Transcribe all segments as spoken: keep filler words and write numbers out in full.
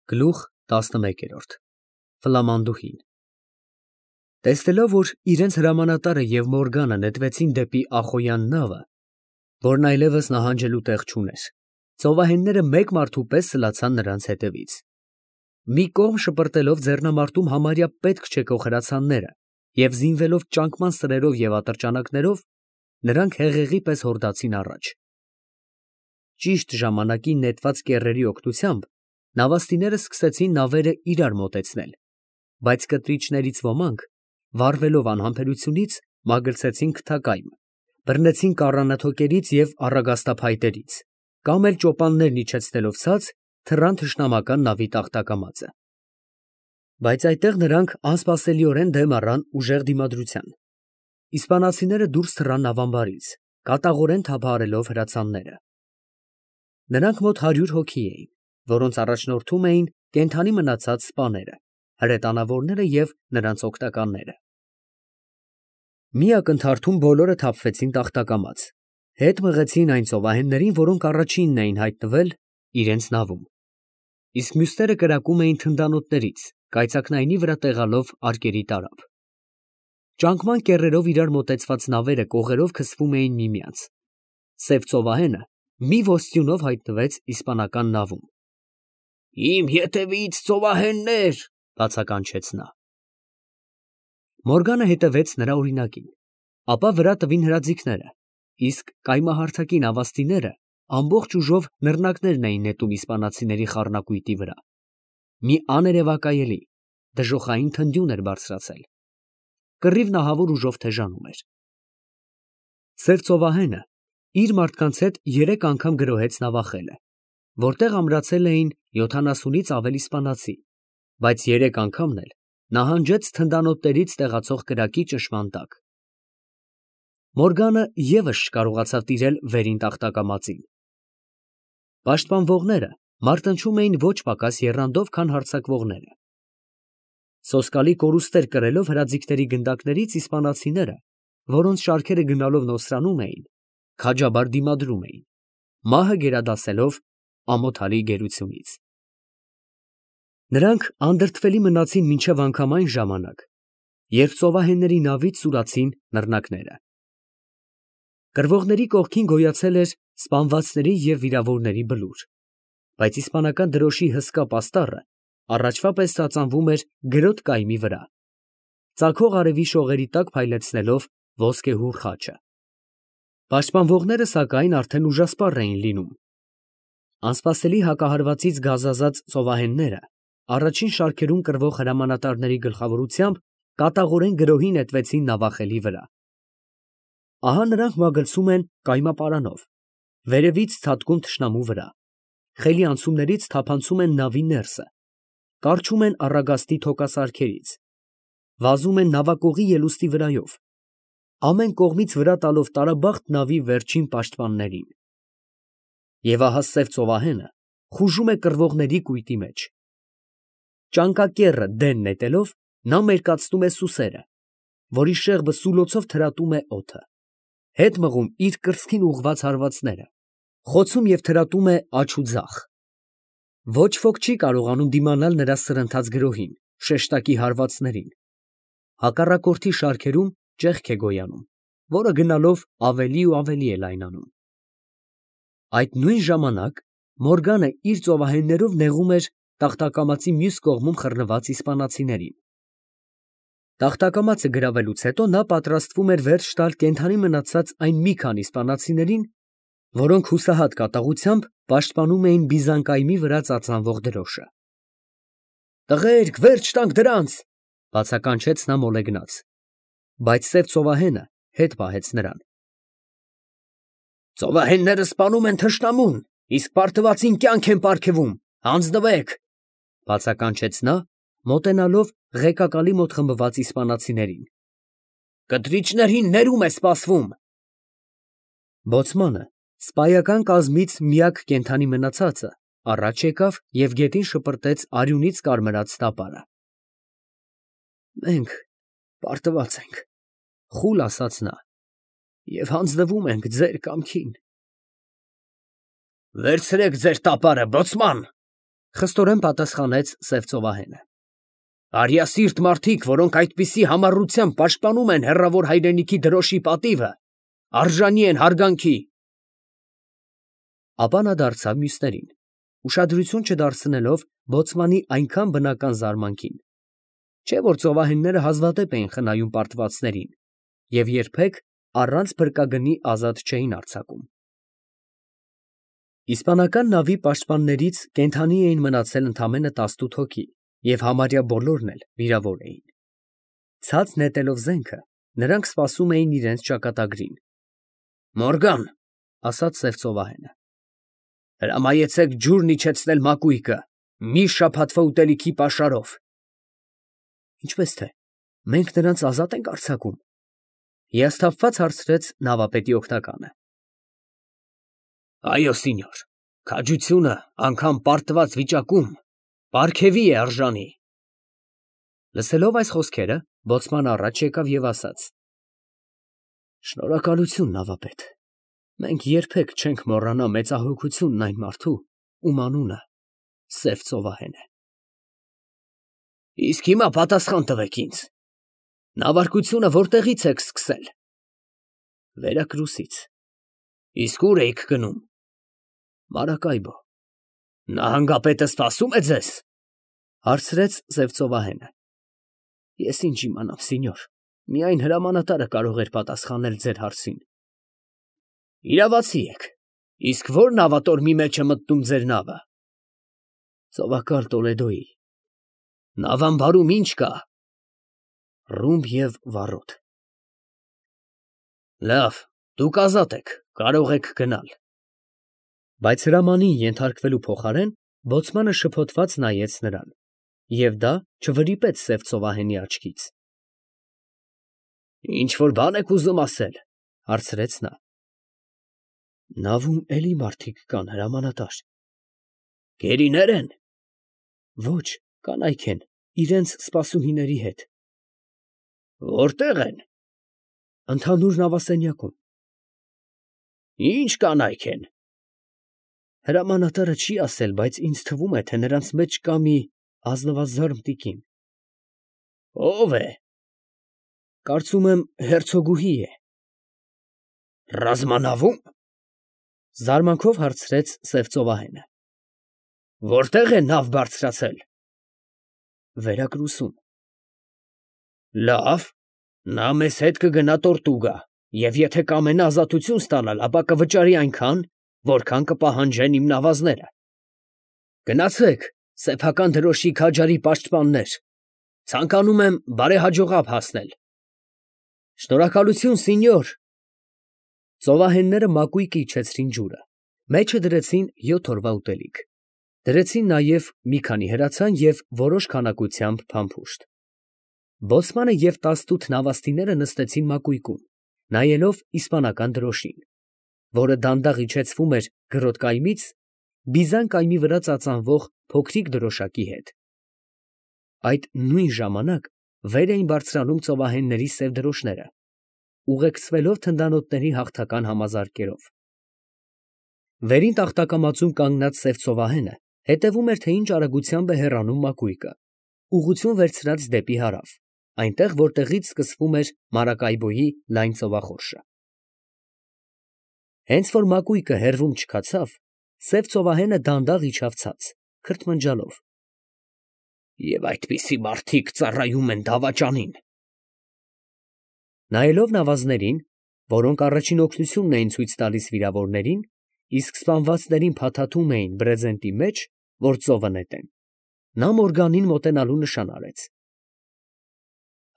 Գլուխ տասնմեկերորդ Ֆլամանդուհին Տեսնելով, որ իրենց հրամանատարը և Մորգանը նետվեցին դեպի Ախոյան նավը, որն այլևս նահանջելու տեղ չուներ, ծովահենները մեկ մարդու պես սլացան նրանց հետևից. մի կողմ շպրտելով ձեռնամարտում համարյա պետք չեկող հրացանները և զինվելով ճանկման սրերով և ատրճանակներով, նրանք հեղեղի պես հորդացին առաջ. ճիշտ ժամանակին նետված կեռերի օգնությամբ նավաստիները սկսեցին նավերը իրար մոտեցնել, բայց կտրիչներից ոմանք, վառվելով անհամբերությունից, մագլցեցին քթակայմ, բռնեցին կառանաթոկերից և առագաստափայտերից, կամ էլ ճոպաններն իջեցնելով ցած, թռան թշնամական նավի տախտակամածը. բայց այդտեղ նրանք անսպասելիորեն դեմ առան ուժեղ դիմադրության. իսպանացիները դուրս թռան նավամբարից, կատաղորեն թափահարելով հրացանները. նրանք մոտ հարյուր հոգի էին, որոնց առաջնորդում էին կենդանի մնացած սպաները, հրետանավորները և նրանց օգնականները. մի ակնթարթում բոլորը թափվեցին տախտակամաց, հետ մղեցին այն ծովահեններին, որոնք առաջինն էին հայտնվել իրենց նավում, իսկ մյուսները կրակում էին թնդանոթներից, կայծակնայինի վրա տեղալով արկերի տարափ. ճանկման կեռերով իրար մոտեցված նավերը կողերով քսվում էին միմյանց. սև ծովահենը մի ոստյունով հայտնվեց իսպանական նավում. «Իմ ետևից ծովահեններ», բացականչեց նա. Մորգանը հետևեց նրա օրինակին, ապա վրա տվին հրաձիգները, իսկ կայմահարթակի նավաստիները ամբողջ ուժով նռնակներն էին նետում իսպանացիների խառնակույտի վրա. մի աներևակայելի, դժոխային թնդյուն էր բարձրացել. կռիվն ահավոր ուժով թեժանում էր. սև ծովահենը իր մարդկանց հետ երեք անգամ գրոհեց նավախելը, որտեղ ամրացել էին յոթանասունից ավելի իսպանացի, բայց երեք անգամն էլ նահանջեց թնդանոթներից տեղացող կրակի ճնշման տակ. Մորգանը ևս չկարողացավ տիրել վերին տախտակամածին. պաշտպանվողները մարտնչում էին ոչ պակաս եռանդով, քան հարձակվողները. սոսկալի կորուստներ կրելով հրաձիգների գնդակներից իսպանացիները, որոնց շարքերը գնալով նոսրանում էին, քաջաբար դիմադրում էին, մահը գերադասելով ամոթալի գերությունից. նրանք անդրդվելի մնացին մինչև անգամ այն ժամանակ, երբ ծովահենների նավից սուրացին նռնակները. կռվողների կողքին գոյացել էր սպանվածների և վիրավորների բլուր, բայց իսպանական դրոշի հսկա պաստառը առաջվա պես ծածանվում էր գրոտ կայմի վրա, ծագող արևի շողերի տակ փայլեցնելով ոսկեհուռ խաչը. պաշտպանվողները, սակայն, արդեն ուժասպառ էին լինում. անսպասելի հակահարվածից գազազած ծովահենները առաջին շարքերում կռվող հրամանատարների գլխավորությամբ կատաղորեն գրոհի նետվեցին նավախելի վրա. ահա նրանք մագլցում են կայմապարանով, վերևից ցատկում թշնամու վրա, խելի անցումներից թափանցում են նավի ներսը, կառչում են առագաստի թոկասարքերից, վազում են նավակողի ելուստի վրայով, ամեն կողմից վրա տալով տարաբախտ նավի վերջին պաշտպաններին. և ահա սև ծովահենը խուժում է կռվողների կույտի մեջ. ճանկակեռը դեն նետելով, նա մերկացնում է սուսերը, որի շեղբը սուլոցով թրատում է օդը, հետ մղում իր կրծքին ուղղված հարվածները, խոցում և թրատում է աջ ու ձախ. ոչ ոք չի կարողանում դիմանալ նրա սրընթաց գրոհին, շեշտակի հարվածներին, հակառակորդի շարքերում ճեղք է գոյանում, որը գնալով ավելի ու ավելի է լայնանում. այդ նույն ժամանակ Մորգանը իր ծովահեններով նեղում էր տախտակամածի մյուս կողմում խռնված իսպանացիներին. տախտակամածը գրավելուց հետո նա պատրաստվում էր վերջ տալ կենդանի մնացած այն մի քանի իսպանացիներին, որոնք հուսահատ կատաղությամբ պաշտպանում էին Բիզանկայմի վրա ծածանվող դրոշը. «Տղերք, վերջ տանք դրանց», բացականչեց նա մոլեգնած, բայց սև ծովահենը հետ պահեց նրան. «Ծովահենները սպանում են թշնամուն, իսկ պարտվածին կյանք են պարգևում, հանձնվեք», բացականչեց նա, մոտենալով ղեկակալի մոտ խմբված իսպանացիներին. «կտրիչներին ներում է սպասվում»։ Բոցմանը, սպայական կազմից միակ կենդանի մնացածը, առաջ եկավ և գետին շպրտեց արյունից կարմրած տապարը. «Մենք պարտված ենք», խուլ ասաց նա, «և հանձնվում ենք ձեր կամքին»։ «Վերցրեք ձեր տապարը, բոցման», Խստորեն պատասխանեց սև ծովահենը։ Արյասիրտ մարդիկ, որոնք այդպիսի համառությամբ պաշտպանում են հեռավոր հայրենիքի դրոշի պատիվը, արժանի են հարգանքի։ Ապա նա դարձավ մյուսներին, ուշադրություն չդարձնելով բոցմանի այնքան բնական զարմանքին, չէ՞ որ ծովահենները հազվադեպ էին խնայում պարտվածներին և երբեք առանց փրկագնի ազատ չէին արձակում։ Իսպանական նավի պաշտպաններից կենդանի էին մնացել ընդամենը տասնութ հոգի և համարյա բոլորն էլ վիրավոր էին։ Ցած նետելով զենքը, նրանք սպասում էին իրենց ճակատագրին։ Մորգան, ասաց սև ծովահենը, հրամայեցեք ջուրն իջեցնել մակույկը, մի շաբաթվա ուտելիքի պաշարով։ Ինչպես թե, մենք նրանց ազատ ենք արձակում, հիասթափված հարցրեց նավապետի օգնականը։ Այո, սինյոր, քաջությունը անգամ պարտված վիճակում պարգևի է արժանի։ Լսելով այս խոսքերը, բոցմանը առաջ եկավ և ասաց. Շնորհակալություն, նավապետ, մենք երբեք չենք մոռանա մեծահոգությունն այն մարդու, ում անունը սև ծովահեն է։ Իսկ հիմա պատասխան տվեք ինձ, նավարկությունը որտեղից եք սկսել։ Վերակրուսից։ Իսկ ուր էիք գնում։ Մարակայբո։ Նահանգապետը սպասում է ձեզ, հարցրեց սև ծովահենը։ Ես ինչ իմանամ, սինյոր, միայն հրամանատարը կարող էր պատասխանել ձեր հարցին։ Իրավացի եք, իսկ ո՞ր նավատորմի մեջ է մտնում ձեր նավը։ Ծովակալ Տոլեդոյի։ Նավամբարում ի՞նչ կա։ Ռումբ և վառոդ։ Լավ, դուք ազատ եք, կարող եք գնալ։ Բայց հրամանին ենթարկվելու փոխարեն բոցմանը շփոթված նայեց նրան, և դա չվրիպեց սև ծովահենի աչքից։ Ինչ֊որ բան եք ուզում ասել, հարցրեց նա։ Նավում էլի մարդիկ կան, հրամանատար։ Գերինե՞ր են։ Ոչ, կանայք են, իրենց սպասուհիների հետ։ Որտե՞ղ են։ Ընդհանուր նավասենյակում։ Ի՞նչ կանայք են։ Հրամանատարը չի ասել, բայց ինձ թվում է, թե նրանց մեջ կա մի ազնվազարդ տիկին։ Ո՞վ է։ Կարծում եմ հերցոգուհի է։ Ռազմանավում։ Զարմանքով հարցրեց սև ծովահենը։ Որտե՞ղ է նավ բարձրացել։ Վերակրուսում։ Լավ, նա մեզ հետ կգնա Տորտուգա, և եթե կամենա ազատություն ստանալ, ապա կվճարի այնքան, որքան կպահանջեն իմ նավազները։ Գնացեք, սեփական դրոշի քաջարի պաշտպաններ, ցանկանում եմ բարեհաջողապ հասնել։ Շնորհակալություն, սինյոր։ Ծովահենները մակույկը իջեցրին ջուրը, մեջը դրեցին յոթ օրվա ուտելիք, դրեցին նաև մի քանի հրացան և որոշ քանակությամբ փամփուշտ։ Բոցմանը և տասնութ նավաստիները նստեցին մակույկում, նայելով իսպանական դրոշին, որը դանդաղ իջեցվում էր գրոտ կայմից բիզան կայմի վրա ծածանվող փոքրիկ դրոշակի հետ։ Այդ նույն ժամանակ վեր էին բարձրանում ծովահենների սև դրոշները, ուղեկցվելով թնդանոթների հաղթական համազարկերով։ Վերին տախտակամածում կանգնած սև ծովահենը հետևում էր, թե ինչ արագությամբ է հեռանում մակույկը, ուղղություն վերցրած դեպի հարավ, այնտեղ, որտեղից սկսվում էր Մարակայբոյի լայն ծովախորշը։ Հենց որ մակույկը հեռվում չքացավ, սև ծովահենը դանդաղ իջավ ցած, քրթմնջալով։ Եվ այդպիսի մարդիկ ծառայում են դավաճանին։ Նայելով նավազներին, որոնք առաջին օգնությունն էին ցույց տալիս վիրավորներին, իսկ սպանվածներին փաթաթում էին բրեզենտի մեջ, որ ծովը նետեն, նա Մորգանին մոտենալու նշան արեց։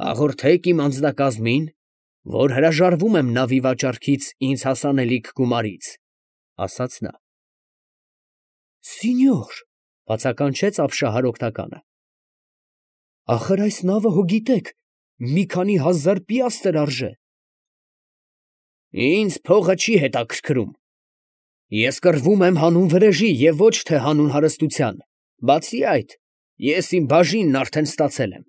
Հաղորդեք իմ անձնակազմին, որ հրաժարվում եմ նավի վաճառքից ինձ հասանելիք գումարից, ասաց նա։ Սինյոր, բացականչեց ապշահար օգնականը։ Ախր այս նավը հո գիտեք, մի քանի հազար պիաստր արժե։ Ինձ փողը չի հետաքրքրում։ Ես կռվում եմ հանուն վրեժի և ոչ թե հանուն հարստության, բացի այդ, ես իմ բաժինն արդեն ստացել եմ։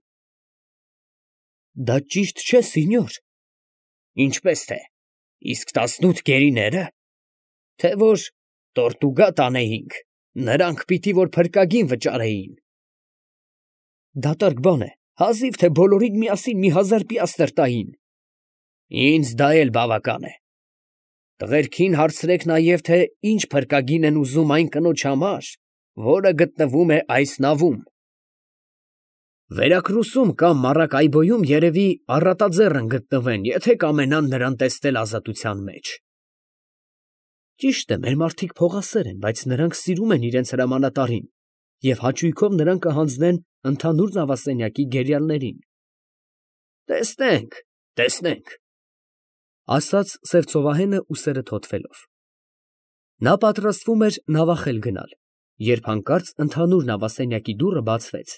Դա ճիշտ չէ, սինյոր։ Ինչպես թե, իսկ տասնութ գերիները, թե որ Տորտուգա տանեինք, Նրանք պիտի որ փրկագին վճարեին։ Դատարկ բան է, հազիվ թե բոլորին միասին մի հազար պիաստր տային։ Ինձ դա էլ բավական է։ Տղերքին հարցրեք նաև, թե ինչ փրկագին են ուզում այն կնոջ համար, որը գտնվում է այս նավում։ Վերակրուսում կամ Մարակայբոյում երևի առատաձեռն գտնվեն, եթե կամենան նրան տեսնել ազատության մեջ։ Ճիշտ է, մեր մարդիկ փողասեր են, բայց նրանք սիրում են իրենց հրամանատարին և հաճույքով նրան կհանձնեն ընդհանուր նավասենյակի գերիալներին։ Տեսնենք, տեսնենք, ասաց սև ծովահենը ուսերը թոթվելով։ Նա պատրաստվում էր նավախել գնալ, երբ հանկարծ ընդհանուր նավասենյակի դուռը բացվեց,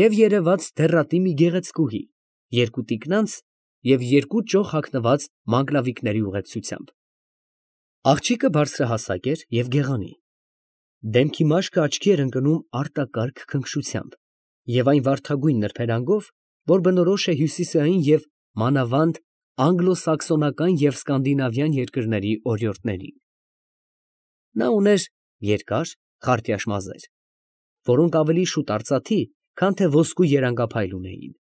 և երևաց դեռատի մի գեղեցկուհի, երկու տիկնանց և երկու ճոխ հագնված մանգլավիկների ուղեկցությամբ։ Աղջիկը բարձրահասակ էր և գեղանի, դեմքի մաշկը աչքի էր ընկնում արտակարգ քնքշությամբ և այն վարդագույն նրբերանգով, որ բնորոշ է հյուսիսային և մանավանդ անգլո֊սաքսոնական և սկանդինավյան երկրների օրիորդներին։ Նա ուներ երկար, խարտյաշ մազեր, որոնք ավելի շուտ արծաթի, քան թե ոսկու երանգափայլ ունեին։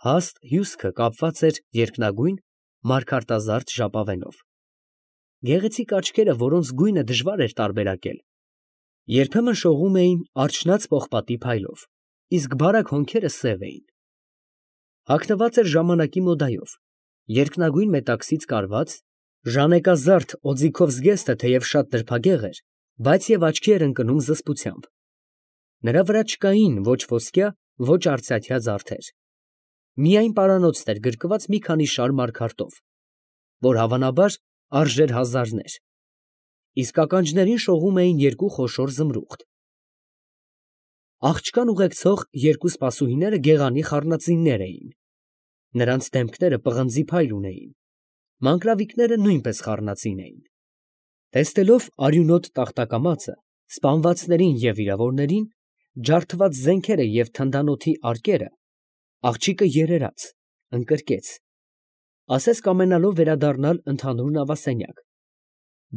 Հաստ հյուսքը կապված էր երկնագույն, մարգարտազարդ ժապավենով։ Գեղեցիկ աչքերը, որոնց գույնը դժվար էր տարբերակել, երբեմն շողում էին արջնած պողպատի փայլով, իսկ բարակ հոնքերը սև էին։ Հագնված էր ժամանակի մոդայով, երկնագույն մետաքսից կարված, ժանեկազարդ օձիքով զգեստը թեև շատ նրբագեղ էր, բայց և աչքի էր ընկնում զսպությամբ։ Նրա վրա չկային ոչ ոսկյա, ոչ արծաթյա զարդեր, միայն պարանոցներ գրկված մի քանի շար մարգարտով, որ հավանաբար արժեր հազարներ, իսկ ականջներին շողում էին երկու խոշոր զմրուխտ։ Աղջկան ուղեկցող երկու սպասուհիները գեղանի խառնածիններ էին, նրանց դեմքերը պղնձի փայլ ունեին, մանգլավիկները նույնպես խառնածին էին։ Տեսնելով արյունոտ տախտակամածը, սպանվածներին և վիրավորներին, ջարդված զենքերը և թնդանոթի արկերը, աղջիկը երերաց, ընկրկեց, ասես կամենալով վերադառնալ ընդհանուր նավասենյակ,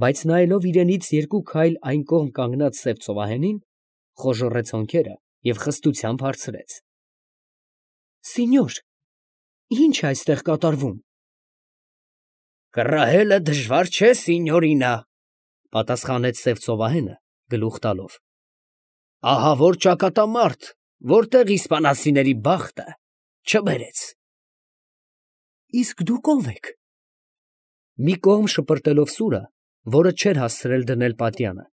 բայց նայելով իրենից երկու քայլ այն կողմ կանգնած սև ծովահենին, խոժոռեց հոնքերը և խստությամբ հարցրեց. Սինյոր, ի՞նչ է այստեղ կատարվում։ Կռահելը դժվար չէ, սինյորինա, պատասխանեց սև ծովահենը, գլուխ տալով։ Ահա որ ճակատամարտ, որտեղ իսպանացիների բախտը չբերեց։ Իսկ դուք ո՞վ եք։ Մի կողմ շպրտելով սուրը, որը չէր հասցրել դնել պատյանը,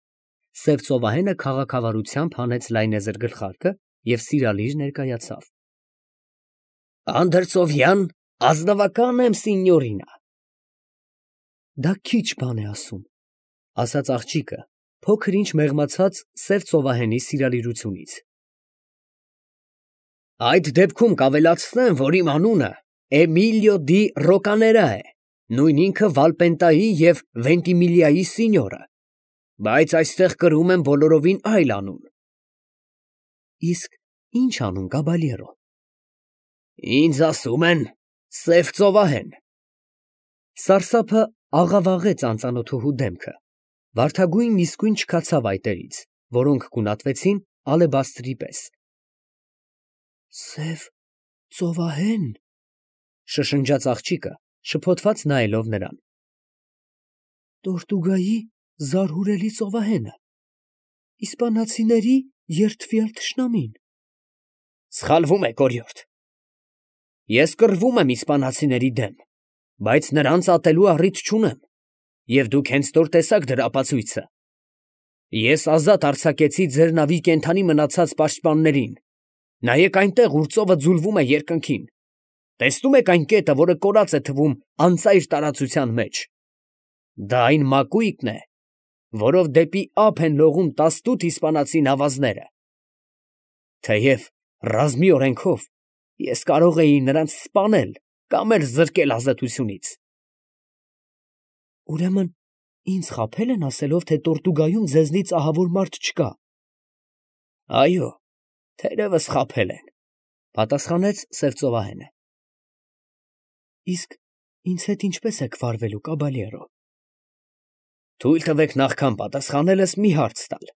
սև ծովահենը քաղաքավարությամբ հանեց լայնեզր գլխարկը և սիրալիր ներկայացավ։ Անդրծովյան ազնվակա՞ն եմ, սինյորինա։ Դա քիչ բան է ասում, ասաց աղջիկը, փոքր ինչ մեղմացած սև ծովահենի սիրալիրությունից։ Այդ դեպքում կավելացնեմ, որ իմ անունը Էմիլիո դի Ռոկաներա է, նույն ինքը Վալպենտայի և Վենտիմիլիայի սինյորը, բայց այստեղ կրում եմ բոլորովին այլ անուն։ Իսկ ի՞նչ անուն, կաբալյերո։ Ինձ ասում են սև ծովահեն։ Սարսափը աղավաղեց անծանոթուհու դեմքը, վարդագույնն իսկույն չքացավ այտերից, որոնք գունատվեցին ալեբաստրի պես։ Սև ծովահեն, շշնջաց աղջիկը, շփոթված նայելով նրան։ Տորտուգայի զարհուրելի ծովահենը, իսպանացիների երդվյալ թշնամին։ Սխալվում եք, օրիորդ։ Ես կռվում եմ իսպանացիների դեմ, բայց նրանց ատելու առիթ չունեմ, և դուք հենց նոր տեսաք դրա ապացույցը։ Ես ազատ արձակեցի ձեր նավի կենդանի մնացած պաշտպաններին, նայեք այնտեղ, ուր ծովը ձուլվում է երկնքին, տեսնում եք այն կետը, որը կորած է թվում անծայր տարածության մեջ։ Դա այն մակույկն է, որով դեպի ափ են լողում տասնութ իսպանացի նավազները։ Թեև ռազմի օրենքով ես կարող էի նրանց սպանել կամ էլ զրկել ազատությունից։ Ուրեմն ինձ խաբել են ասելով, թե Տորտուգայում ձեզնից ահավոր մարդ չկա։ Այո, թերևս խաբել են, պատասխանեց սև ծովահենը։ Իսկ ինձ հետ ինչպես եք վարվելու, կաբալյերո։ Թույլ տվեք նախքան պատասխանելս մի հարց տալ։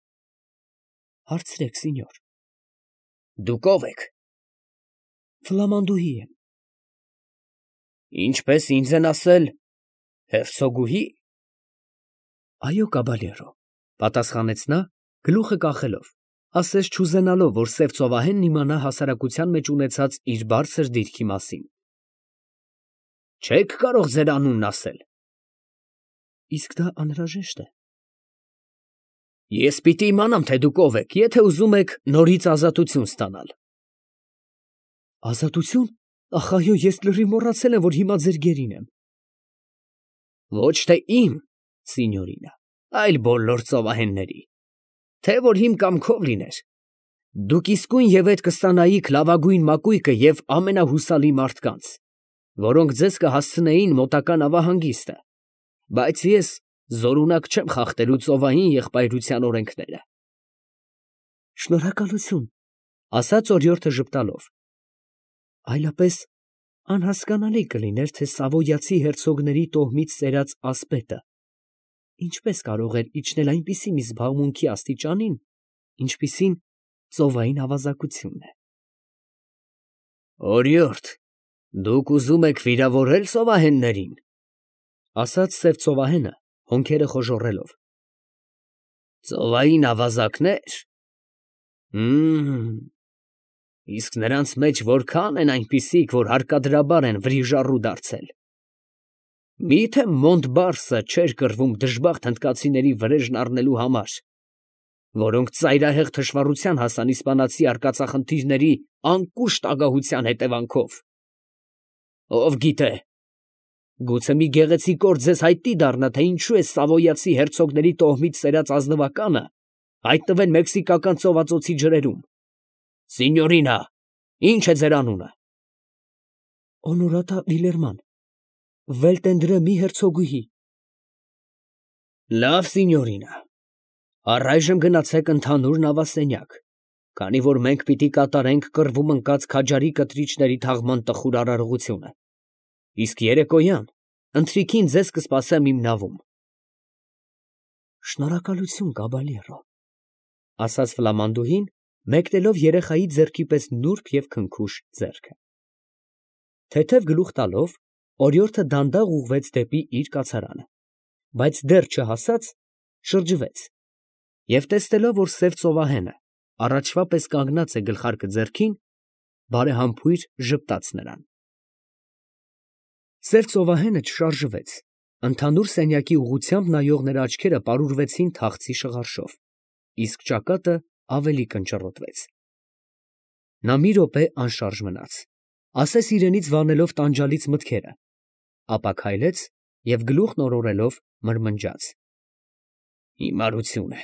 Հարցրեք, սենյոր։ Դուք ով եք։ Ֆլամանդուհի եմ։ Ինչպես ինձ են ասել, հերցոգուհի։ Այո, կաբալերո, պատասխանեց նա, գլուխը կախելով, ասես չուզենալով, որ սև ծովահենն իմանա հասարակության մեջ ունեցած իր բարձր դիրքի մասին։ Չեք կարող ձեր անունն ասել։ Իսկ դա անհրաժեշտ է։ Ես պիտի իմանամ, թե դուք ով եք, եթե ուզում եք նորից ազատություն ստանալ։ Ազատություն։ Ախ, այո, ես լրիվ մոռացել եմ, որ հիմա ձեր գերին եմ։ Ոչ թե իմ, սինյորինա, այլ բոլոր ծովահենների, թե որ իմ կամքով լիներ, դուք իսկույն եւ այդ կստանայիք լավագույն մակույկը եւ ամենահուսալի մարդկանց, որոնք ձեզ կհասցնեին մոտակա նավահանգիստը, բայց ես զորունակ չեմ խախտելու ծովային եղբայրության օրենքները։ Շնորհակալություն, ասաց օրիորդը ժպտալով։ Այլապես անհասկանալի կլիներ, թե Սավոյացի հերցոգների տոհմից սերած ասպետը ինչպես կարող էր իջնել այնպիսի մի զբաղմունքի աստիճանին, ինչպիսին ծովային ավազակությունն է։ Օրիորդ, դուք ուզում եք վիրավորել ծովահեններին, ասաց սև ծովահենը, հոնքերը խոժոռելով։ Ծովային ավազակներ։ Հմ, իսկ նրանց մեջ որքան են այնպիսիք, որ հարկադրաբար են վրիժառու դարձել։ Միթե Մոնտբարսը չէր կռվում դժբախտ հնդկացիների վրեժն առնելու համար, որոնք ծայրահեղ թշվառության հասան իսպանացի արկածախնդիրների անկուշտ ագահության հետևանքով։ Ով գիտե, գուցե մի գեղեցիկ օր ձեզ հայտնի դառնա, թե ինչու է Սավոյացի հերցոգների տոհմից սերած ազնվականը հայտնվել մեքսիկական ծովածոցի ջրերում։ Սինյորինա, ի՞նչ է ձեր անունը։ Օնորատա Վիլերման, Վելտենդրեմի հերցոգուհի։ Լավ, սինյորինա, առայժմ գնացեք ընդհանուր նավասենյակ, քանի որ մենք պիտի կատարենք կռվում ընկած քաջարի կտրիչների թաղման տխուր արարողությունը, իսկ երեկոյան ընթրիքին ձեզ կսպասեմ իմ նավում։ Շնորհակալություն, կաբալերո, ասաց ֆլամանդուհին, մեկնելով երեխայի ձեռքի պես նուրբ և քնքուշ ձեռքը։ Թեթև գլուխ տալով, օրիորդը դանդաղ ուղղվեց դեպի իր կացարանը, բայց դեռ չհասած, շրջվեց և տեսնելով, որ սև ծովահենը առաջվա պես կանգնած է գլխարկը ձեռքին, բարեհամբույր ժպտաց նրան։ Սև ծովահենը չշարժվեց, ընդհանուր սենյակի ուղղությամբ նայող նրա աչքերը պարուրվեցին թախծի շղարշով, իսկ ճակատը ավելի կնճռոտվեց։ Նա մի րոպե անշարժ մնաց, ասես իրենից վանելով տանջալից մտքերը, ապա քայլեց և գլուխն օրորելով մրմնջաց. Հիմարություն է,